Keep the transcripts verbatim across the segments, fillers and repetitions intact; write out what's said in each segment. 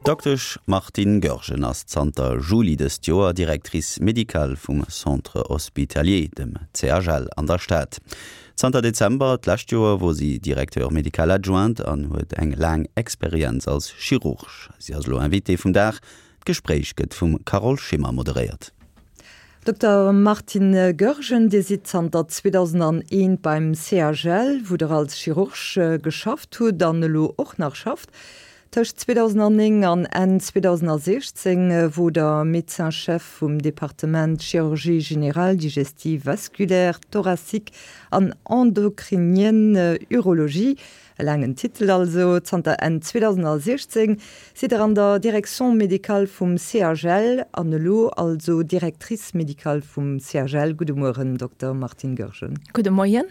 D'Doktesch Martine Goergen ass zanter Juli dëst Joer Directrice médicale vum Centre Hospitalier, dem C H L an der Stad. Zanter Dezember d'lescht Joer wor si Directeur médical adjoint an huet eng laang Experienz als Chirurg. Si ass elo Invitée vum Dag. D'Gespréich gëtt vum Carole Schimmer moderéiert. Dokter Martine Goergen, Dir sidd zanter zweedausendeent beim C H L, wou Der als Chirurg geschafft hutt an elo och nach schafft. Tëscht zweedausendzéng an Enn zweedausendsechzéng wor Der Médecin-chef vum Departement Chirurgie générale, digestive, vasculaire, thoracique an endocrinienne, Urologie. E laangen Titel also. Zanter Enn zweedausendsechzéng sidd Der an der Direction médicale vum C H L an elo also Directrice médicale vum C H L. Gudde Mueren, Dokter Martine Goergen. Gudde Moien.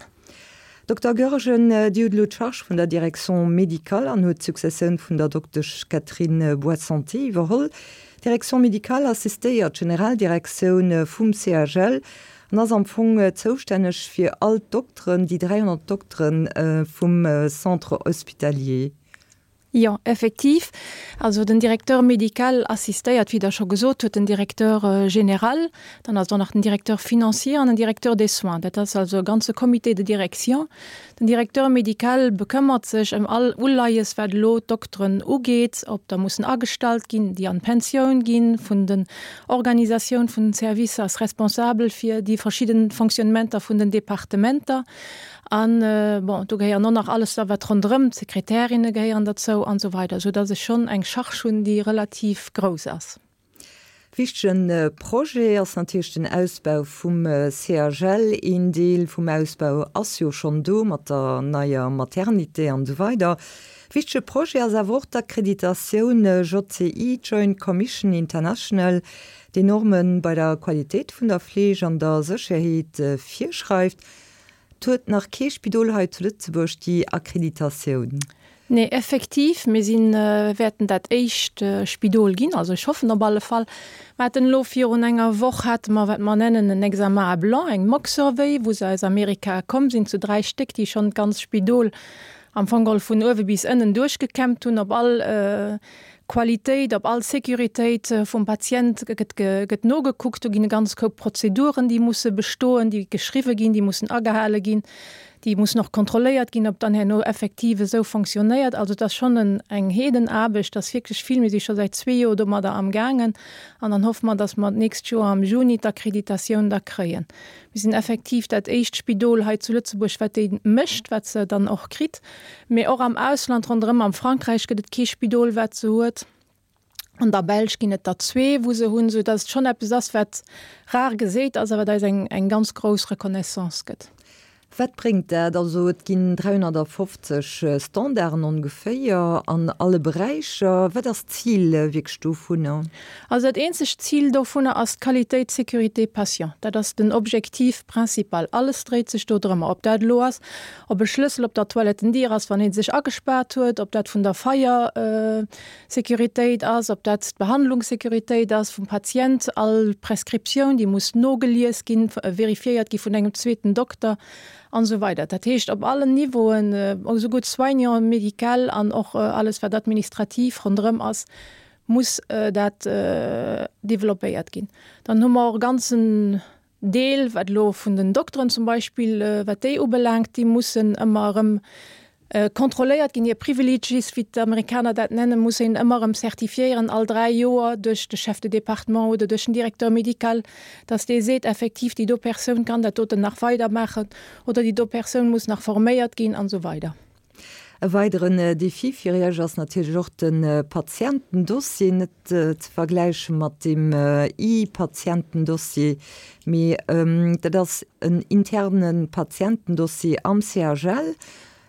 Dokter Goergen, Dir hutt elo d'Charge vun der Direction médicale an hutt d'Successioun vun der Doktesch Catherine Boissanté iwwerholl. D'Direction médicale assistéiert d'Generaldirektioun vum C H L an ass am Fong zoustänneg fir all d'Dokteren, déi dräihonnert Dokteren vum Centre hospitalier. Jo, effektiv. Also den Directeur médical assistéiert, wéi Der scho gesot hutt, den Directeur général, dann ass do nach den Directeur financier an den Directeur des soins. Dat ass also e ganze Comité de direction. Den Directeur médical bekëmmert sech ëm all Uleies, wat elo d'Dokteren ugeet, ob der mussen agestallt ginn, déi an d'Pensioun ginn, vun den Organisatioun vun den Servicer, ass responsabel fir déi verschidden Fonctionnementer vun den Departementer. An bon, do gehéieren och nach alles da wat ronderëm, d'Sekretärinne gehéieren derzou an esou weider, soudass ech schonn eng Charge hunn, déi relativ grouss ass. Wichtegen Projet ass natierlech den Ausbau vum C H L. Een Deel vum Ausbau ass jo schonn do mat der neier Maternité an esou weider. Wichtege Projet ass awer och d'Akkreditatioun J C I, Joint Commission International, déi Norme bei der Qualitéit vun der Fleeg an der Sécherheet virschreift. Et huet nach kee Spidol hei zu Lëtzebuerg déi Akkreditatioun. Nee, effektiv, mir sinn, wäerten dat éischt Spidol ginn, also ech hoffen op alle Fall. Mer haten elo virun enger Woch hate mer, wat mer nennen en Examen à blanc, eng Mock Survey, wou se aus Amerika komm sinn zu dräi Stéck, déi schonn d'ganz Spidol am Fong geholl vun uewe bis ënnen duerchgekämmt hunn, op all Qualitéit, op all Sécuritéit vum Patient gëtt gëtt nogekuckt. Do ginn e ganz Koup Prozeduren, déi musse bestoen, déi geschriwwe ginn, déi mussen agehale ginn, déi mussen och kontrolléiert ginn, ob dann herno effektiv esou fonctionnéiert. Also et ass schonn en eng Heedenaarbecht, ass wierklech vill. Mir si scho säit zwee Joer domadder amgaangen an dann hoffe mer, dass mer d'nächst Joer am Juni d'Akkreditatioun da kréien. Mir sinn effektiv dat éischt Spidol hei zu Lëtzebuerg, wat déi mécht, wat se dann och kritt. Mee och am Ausland ronderëm, am Frankräich gëtt et kee Spidol, wat se huet. An der Belsch ginn et der zwee, wou se hunn, soudass et schonn eppes ass, wat rar geséit ass, a wat eis eng eng ganz grouss Reconnaissance gëtt. Wat bréngt dat? Also et ginn dräihonnertfofzeg Standarden ongeféier an alle Beräicher. Wat ass d'Zil wierklech dovunner? Also dat eenzegt Zil dovunner ass d'Qualitéit, Sécurité patient. Dat ass den Objectif principal. Alles dréit sech do drëmmer. Ob dat elo ass, ob e Schlëssel op der Toilettendier ass, wann ee sech agespaart huet, ob dat vun der Feier Sécuritéit ass, ob dat d'Behandlungssécuritéit ass vum Patient, all Prescriptioun, déi muss nogelies ginn, vérifiéiert gi vun engem zweeten Dokter an esou weider. Dat heescht op allen Niveauen, esouguer d'Soignant médical an och alles wat administrativ ronderëm ass, muss dat developpéiert ginn. Dann hu mer och e ganzen Deel, wat elo vun den Dokteren zum Beispill, wat déi ubelaangt, déi mussen ëmmer erëm kontrolléiert ginn, hir Privileges, wéi d'Amerikaner dat nennen, muss een ëmmer erëm zertifiéieren all dräi Joer duerch de Chef de département oder duerch den Directeur médical, dass dee seet, effektiv déi do Persoun kann dat doten nach weidermaachen oder déi do Persoun muss nach forméiert ginn an esou weider. E weideren Defi fir Iech ass natierlech och de Patientendossier, net ze vergläiche mat dem E-Patientendossier, mee dat ass en interne Patientendossier am C H L.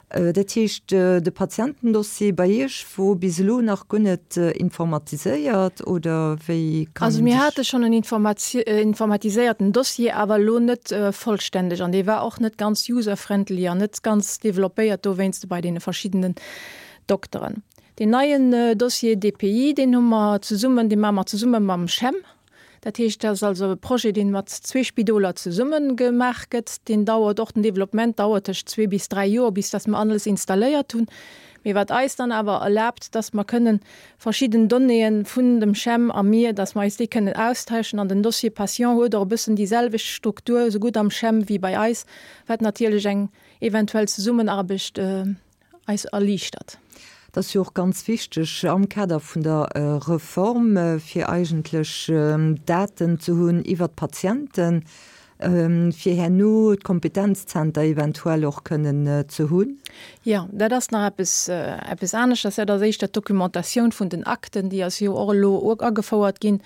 Dat heescht, de Patientendossier bei Iech wor bis elo nach guer net informatiséiert, oder wéi kann Also een mir sech. hate schonn en informatiséierten Dossier, awer elo net vollständeg an dee war och net ganz user-friendly an net ganz developpéiert dowéinst bei deene verschiddenen Dokteren. Deen neien Dossier D P I, deen hu mer zesummen, dee maache mer zesumme mam CHEM. Dat heescht, dat ass also e Projet, dee mat zwee Spidoler zesumme gemaach gëtt. Deen dauert och, den Developpement dauert tëscht zwee bis dräi Joer, bis datt mer alles installéiert hunn. mee wat eis dann awer erlaabt, dass mer kënnen verschidden Donnéeën vun dem CHEM a mir, dass mer eis déi kënnen austauschen an den Dossier patient huet och e bëssen déi selwecht Struktur, esougutt am CHEM wéi bei eis, wat natierlech eng eventuell Zesummenaarbecht eis erliichtert. Dat ass jo och ganz wichteg am Kader vun der Reform, fir eigentlech Daten ze hunn iwwert d'Patienten, fir herno d'Kompetenzzenter eventuell och kënnen ze hunn. Jo, dat ass nach eppes, eppes aneschters. Dat ass éischter d'Documentatioun vun den Akten, déi ass jo och elo agefouert ginn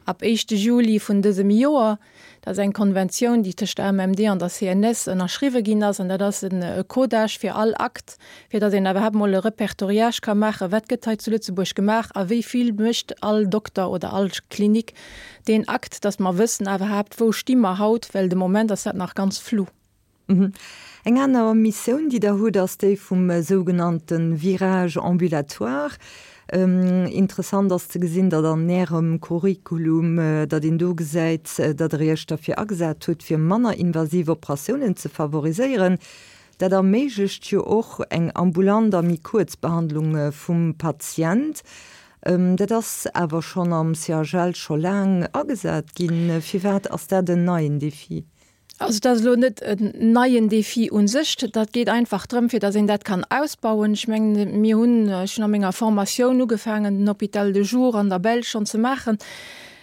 ab éischte Juli vun dësem Joer. Dat ass eng Konventioun, déi tëscht der AMMD an der C N S ënnerschriwwe ginn ass. An dat ass e Codage fir all Akt, fir datt een iwwerhaapt mol e Repertoriage ka maachen, wat gëtt hei zu Lëtzebuerg gemaach a wéi vill mécht all Dokter oder all Klinik deen Akt, datt mer wëssen iwwerhaapt, wou sti mer haut, well de Moment ass dat nach ganz flou. Eng aner Missioun, déi Der hutt, ass déi vum sougenannte Virage ambulatoire. Interessant ass ze gesinn, datt an Ärem Curriculum, datt een do gesäit, datt Der Iech derfir agesat hutt, fir manner invasiv Operatiounen ze favoriséieren. Dat erméiglecht jo och eng ambulant a méi kuerz Behandlung vum Patient. Dat ass awer schonn am C H L scho laang agesat ginn. Firwat ass dat en neien Defi? Also dat ass elo net en neien Defi u sech. Dat geet einfach drëm, fir datt een dat kann ausbauen. Ech mengen, mir hunn, ech hunn a menger Formatioun ugefaangen, den Hôpital de jour an der Belsch schonn ze maachen,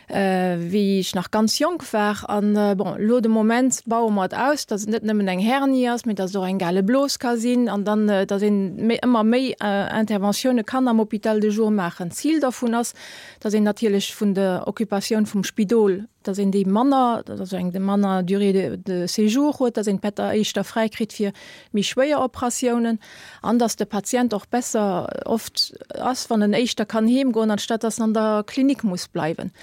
wéi ech nach ganz jonk war. An, bon, elo de Moment baue mer et aus, datt et net nëmmen eng Hernie ass, mee datt et och eng Galeblos ka sinn an dann, datt een méi, ëmmer méi Interventioune kann am Hôpital de jour maachen. D'Zil dovun ass, datt een natierlech vun der Occupatioun vum Spidol, datt een déi manner, also eng manner Durée de, de séjour huet, datt een d'Better éischter fräi kritt fir méi schwéier Operatiounen an datt de Patient och besser oft ass, wann en éischter kann heemgoen, anstatt datt en an der Klinik muss bleiwen.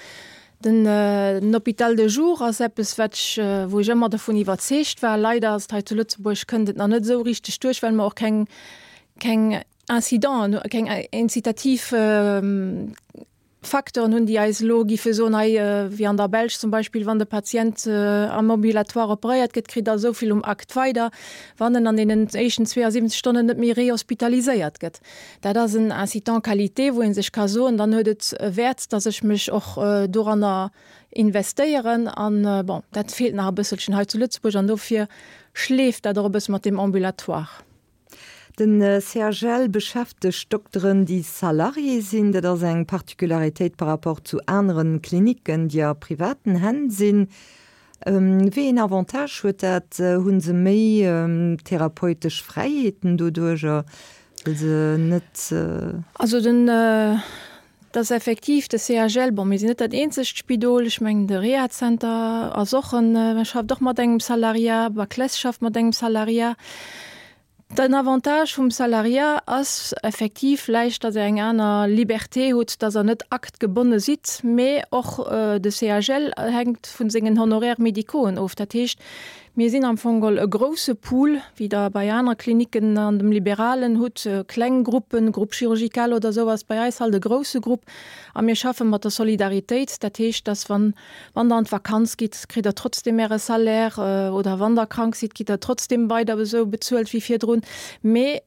Den, den Hôpital de jour ass eppes, wat ech, wou ech ëmmer dovun iwwerzeegt war. Leider ass et hei zu Lëtzebuerg, kënnt et nach net esou richteg duerch, well mer och keng, keng Incidenten, keng incitativ Facteuren hunn, déi eis elo giffe soen, hei, wéi an der Belsch zum Beispill, wann de Patient am Ambulatoire operéiert gëtt, kritt der esou vill um Akt weider, wann en an deenen éischten zweeënsiwwenzeg Stonnen net méi rehospitaliséiert gëtt. Dat ass en Incitant qualité, wou ee sech ka soen, dann huet et e Wäert, datt ech mech och doranner investéieren. An, bon, dat feelt nach e bësselchen hei zu Lëtzebuerg an dofir schleeft dat och e bësse mat deem Ambulatoire. Den C H L beschäftegt Dokteren, déi Salarié sinn. Dat ass eng Particularitéit par rapport zu anere Klinicken, déi a privaten Hänn sinn. Wéi een Avantage huet dat? Hu se méi therapeutesch Fräiheeten doduercher, well se net. Also den, dat ass effektiv de C H L, bon, mir sinn net dat eenzegt Spidol, ech mengen de Rehazenter ass och en, schafft och mat engem Salariat, Baclesse schafft mat engem Salariat. Den Avantage vum Salariat ass effektiv vläicht, datt Der eng aner Liberté hutt, datt Der net aktgebonne sidd, mee och de C H L hänkt vu sengen Honoraires médicauxen of. Dat heescht, mir sinn am Fong geholl e grousse Pool, wéi Der bei aner Klinicken an dem Liberalen hutt, kleng Gruppen, Groupe chirurgical oder esou, ass bei eis halt e grousse Grupp a mir schaffe mat der Solidaritéit. Dat heescht, datt wann, wann Der an d'Vakanz gitt, kritt Der trotzdem Äre Salaire oder wann Der krank sidd, gitt Der trotzdem weider esou bezuelt wéi virdrun. Mee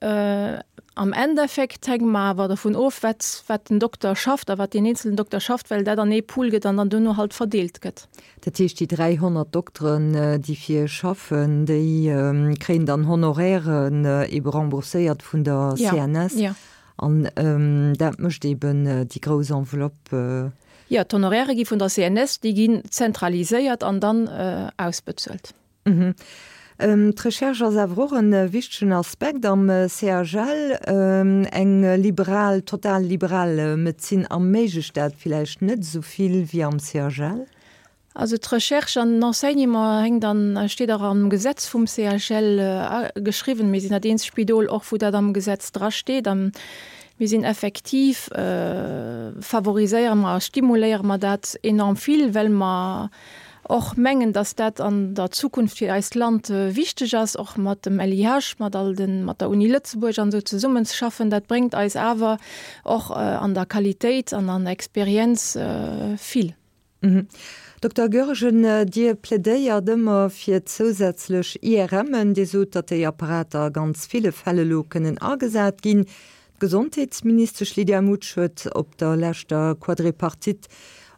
am Endeffekt hänke mer awer dovun of, wat, wat den Dokter schafft a wat deen eenzelen Dokter schafft, well dat an ee Pool gëtt an dann duerno halt verdeelt gëtt. Dat heescht, déi dräihonnert Dokteren, déi fir Iech schaffen, déi kréien dann Honorairen ebe rembourséiert vun der C N S? Jo. An dat mécht eben déi grouss Enveloppe? Jo, d'Honoraire gi vun der C N S, déi ginn zentraliséiert an dann ausbezuelt. D'Recherche ass awer och e wichtegen Aspekt am C H L. Eng liberal, total liberal Medezin erméiglecht dat villäicht net esou vill wéi am C H L? Also d'Recherche an den Enseignement hänkt an, steet och am Gesetz vum C H L geschriwwen. Mir sinn dat eenzegt Spidol och, wou dat am Gesetz drasteet. A mir sinn effektiv, favoriséiere mer a stimuléiere mer dat enorm vill, well mer och mengen, dass dat an der Zukunft fir eist Land wichteg ass, och mat dem L I H, mat all den, mat der Uni Lëtzebuerg an esou zesummenzeschaffen. Dat bréngt eis awer och an der Qualitéit an an der Experienz vill. Dokter Goergen, Dir plädéiert ëmmer fir zousätzlech I R M'en. Dir sot, datt déi Apparater a ganz ville Fäll elo kënnen agesat ginn. D'Gesondheetsministesch Lydia Mutsch huet op der leschter Quadripartite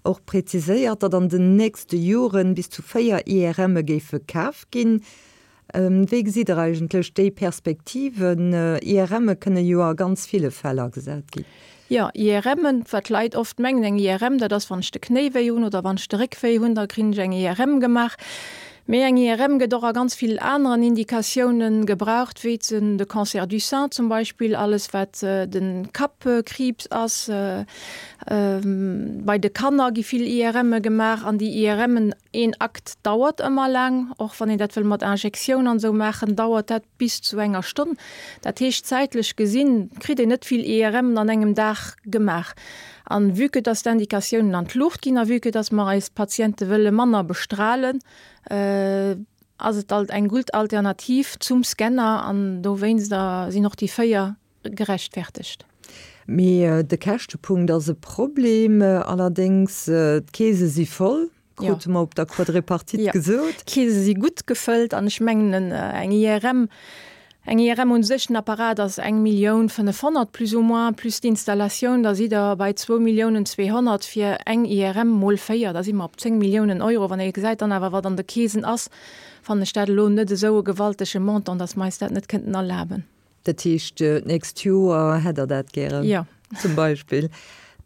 och präziséiert, datt an den nächste Joren bis zu véier IRMe géife kaf ginn. Wéi gesitt Der eigentlech déi Perspektiven? IRMe kënne jo a ganz ville Fäll agesat ginn. Jo, IRMen, wat d'Leit oft mengen, eng IRM, dat ass, wann ech de Knéi wéi hunn oder wann ech de Réck wéi hunn, da krin ech eng IRM gemaach. Mee eng IRM gëtt och a ganz vill aneren Indikatiounen gebraucht, wéi de Cancer du sein zum Beispill, alles wat de Kappkriibs ass. Bei de Kanner gi vill IRMe gemaach an déi IRMen, een Akt dauert ëmmer laang, och wann een dat wëll mat Injektioun an esou maachen, dauert dat bis zu enger Stonn. Dat heescht, zäitlech gesinn kritt een net vill IRMen an engem Dag gemaach. An vue que dass d'Indikatiounen an d'Luucht ginn a vue que dass mer eis Patiente wëlle manner bestrahlen, ass et alt eng gutt Alternativ zum Scanner an dowéinster sinn och déi véier gerechtfertegt. Mee de Käschtepunkt ass e Problem. Allerdéngs, d'Keese si voll, krute mer op der Quadripartite gesot. D'Keese si gutt gefëllt an ech mengen, eng IRM, eng IRM un sech, den Apparat ass eng Millioun fënnefhonnert plus ou moins, plus d'Installatioun, da sidd Der bei zwou Milliounen zweehonnert fir eng IRM mol véier, da si mer op zéng Milliounen Euro. Wann ee gesäit dann awer, wat an de Keesen ass, fannen ech dat elo net esou e gewaltege Montant, dass mer eis dat net kënnten erlaben. Dat heescht, d'nächst Joer hätt Der dat gären? Jo. Zum Beispill.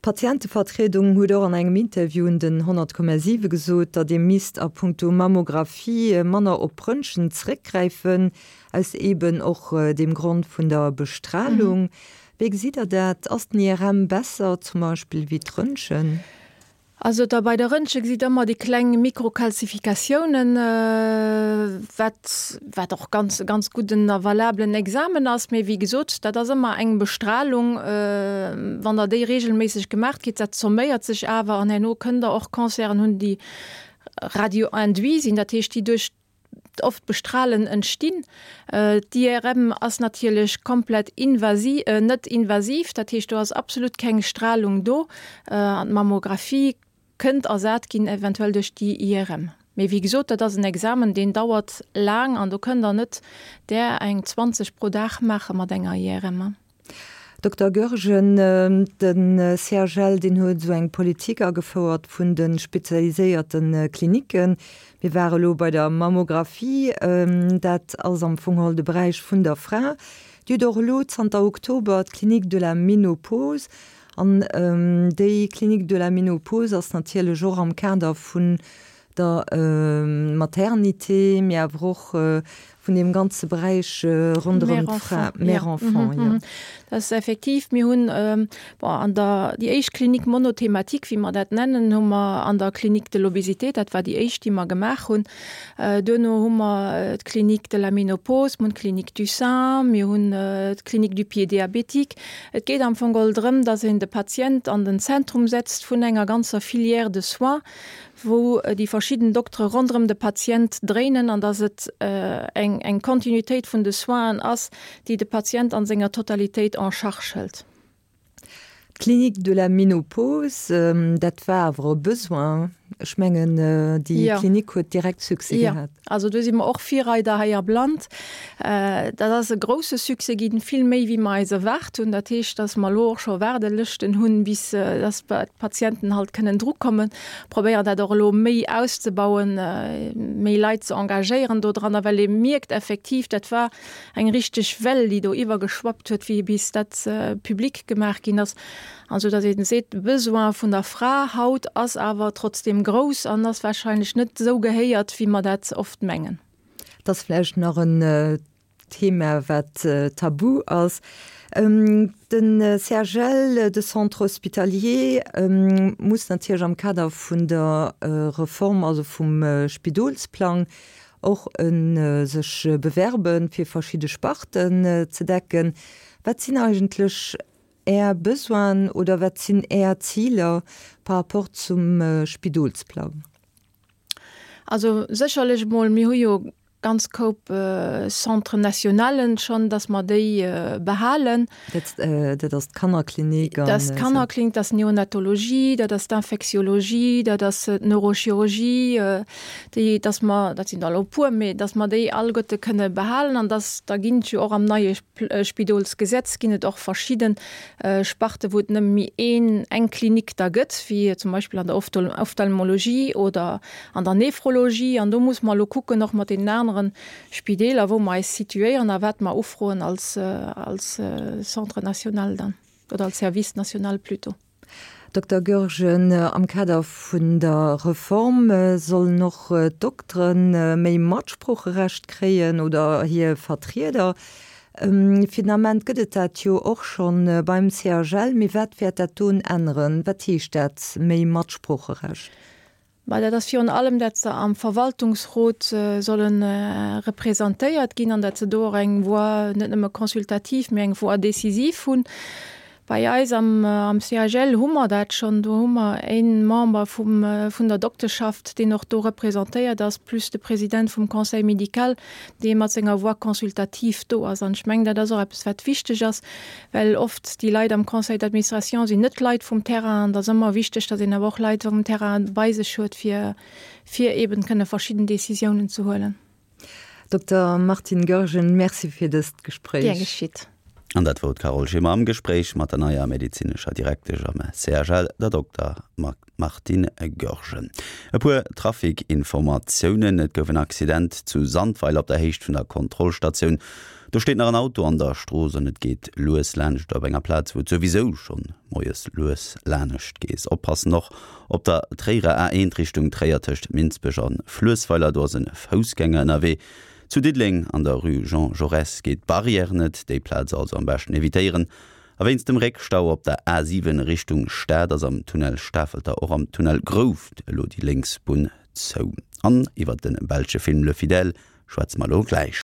D'Patientevertriedung huet och an engem Interview un den honnert Komma siwe gesot, datt ee misst a puncto Mammographie manner op Röntgen zréckgräifen, aus eeben och deem Grond vun der Bestralung. Wéi gesitt Der dat? Ass den I R M besser zum Beispill wéi d'Röntgen? Also da bei der Röntgen gesitt ëmmer déi kleng Mikrokalzifikatiounen, wat wat och ganz ganz gudden a valablen Examen ass. Mee wéi gesot, dat ass ëmmer eng Bestrahlung, wann Der déi regelméisseg gemaacht kritt, dat zomméiert sech awer an herno kënnt Der och Canceren hunn, déi radio-induit sinn, dat heescht déi duerch oft Bestrahlen entstinn. D'I R M ass natierlech komplett invasi net invasiv, dat heescht do ass absolut keng Strahlung do an d'Mammographie kënnt ersat ginn eventuell duerch déi I R M. Mee wéi gesot, dat ass en Examen, deen dauert laang an do kënnt Der net där eng zwanzeg pro Dag maache mat enger I R M. Dokter Goergen, de C H L deen huet esou eng Politik agefouert vun de spezialiséierte Klinicken. Mir ware elo bei der Mammographie, dat ass am Fong geholl de Beräich vun der Fra. Dir hutt och elo zanter Oktober d'Clinique de la Ménopause. An déi Clinique de la Ménopause ass natierlech och am Kader vun der Maternité, mee awer och vun deem ganze Beräich ronderëm d'Fra, Mère-enfant, jo. Dat ass effektiv, mir hunn, bon, an der, déi éischt Clinique monothématique, wéi mer dat nennen, hu mer an der Clinique de l'obésité, dat war déi éischt, déi mer gemaach hunn. Duerno hu mer d'Clinique de la ménopause, mir hunn d'Clinique du sein, mir hunn d'Clinique du pied diabétique. Et geet am Fong geholl drëm, dass een de Patient an den Zentrum setzt vun enger ganzer Filière de soins, wou déi verschidden Doktere ronderëm de Patient dréinen an dass et eng eng Kontinuitéit vun de Soinen ass, déi de Patient an senger Totalitéit en charge hëlt. D'Clinique de la Ménopause, dat war awer e Besoin. Ech mengen, déi Klinik huet direkt Succès gehat. Jo, also do si mer och Virreider hei am Land. Dat ass e grousse Succès ginn, vill méi wéi mer eis erwaart hunn. Dat heescht, dass mer elo och scho Waardelëschten hunn, bis dass d'Patienten halt kënnen drukommen. Probéieren dat och elo méi auszebauen, méi Leit ze engagéieren dodranner, well ee mierkt effektiv, dat war eng richteg Well, déi do iwwergeschwappt huet, wéi bis dat public gemaach ginn ass. An esou datt een seet, de Besoin vun der Fra haut ass awer trotzdeem grouss an ass wahrscheinlech net esou gehéiert, wéi mer dat oft mengen. Et ass vläicht nach en Thema, wat tabu ass. Den C H L, de Centre hospitalier, muss natierlech am Kader vun der Reform, also vum Spidolsplang, och sech bewerben, fir verschidde Sparten ze decken. Wat sinn eigentlech Är Besoinen oder wat sinn Är Ziler par rapport zum Spidolsplang? Also sécherlech emol, mir hu jo ganz Koup Centres nationalen schonn, dass mer déi behalen. Dat, dat ass d'Kannerklinik an. Dat ass d'Kannerklinik, dat ass d'Neonatologie, dat ass d'Infektiologie, dat ass d'Neurochirurgie, déi, dass mer, dat sinn der elo e puer, mee dass mer déi alleguerte kënne behalen an dass, da ginn et jo och am neie Spidolsgesetz ginn et och verschidde Sparte wou et nëmme méi een, eng Klinik da gëtt, wéi zum Beispill an der Ophtalmologie oder an der Nephrologie. An do muss mer elo kucken, och mat deenen aneren Spideeler, wou mer eis situéieren a wat mer ufroen als, als Centre national dann oder als Service national plutôt. Dokter Goergen, am Kader vun der Reform sollen och d'Doktere méi Matsproocherecht kréien oder hir Vertrieder. Fir den Ament gëtt et dat jo och schonn beim CHL. Mee wat wäert dat doen änneren? Wat heescht dat, méi Matsproocherecht? Bah, dat ass virun allem, dat se am Verwaltungsrot solle representéiert ginn an dat se do och eng Voix net nëmme consultative, mee eng Voix décisive hunn. Bei eis am, am CHL hu mer dat schonn. Do hu mer ee Member vum, vun der Dokteschaft, deen och do representéiert ass, plus de President vum Conseil médical, dee mat senger Voix consultative do ass. An ech mengen, dat ass och eppes, wat wichteg ass, well oft déi Leit am Conseil d'administration sinn net Leit vum Terrain. An et ass ëmmer wichteg, datt een awer och Leit vum Terrain bei sech huet, fir, fir eben kënne verschidden Décisiounen ze huelen. Dokter Martine Goergen, Merci fir dëst Gespréich. Gär geschitt. An dat wor d'Carole Schimmer am Gespréich mat der neier medezinescher Direktesch am CHL, der Dokter Martine Goergen. E puer Trafic-Informatiounen, Et gouf en Accident zu Sandweiler op der Héicht vun der Kontrollstatioun. Do steet nach en Auto an der Strooss an et geet lues laanscht op enger Plaz, wou et souwisou schonn moies lues lanescht gees. Oppassen och op der Tréierer A eent Richtung Tréier tëscht Minsbech an Fluessweiler, do ass e Foussgänger ënnerwee. Zu Diddeleng an der Rue Jean Jaurès geet d'Barrière net, déi Plaz also am beschten evitéieren. A wéinst dem Réckstau op der A siwen Richtung Stad ass am Tunnel Stafelter och am Tunnel Grouft elo déi lénks Bunn zou. An iwwer de belsche Film Le Fidèle schwätze mer elo gläich.